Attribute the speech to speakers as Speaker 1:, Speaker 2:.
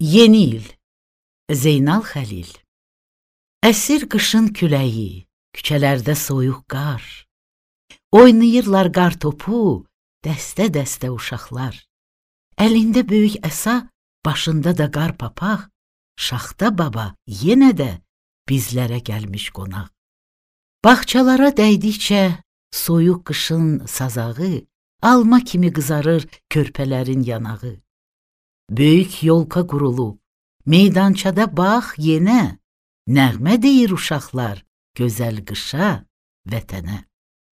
Speaker 1: Yeni il. Zeynal Xəlil. Əsir qışın küləyi, küçələrdə soyuq qar. Oynayırlar qar topu, dəstə-dəstə uşaqlar. Əlində böyük əsa, başında da qar papaq. Şaxta baba yenə də bizlərə gəlmiş qonaq. Bağçalara dəydikcə soyuq qışın sazağı, alma kimi qızarır körpələrin yanağı. Böyük yolka qurulub, meydançada bax yenə, nəğmə deyir uşaqlar gözəl qışa, vətənə.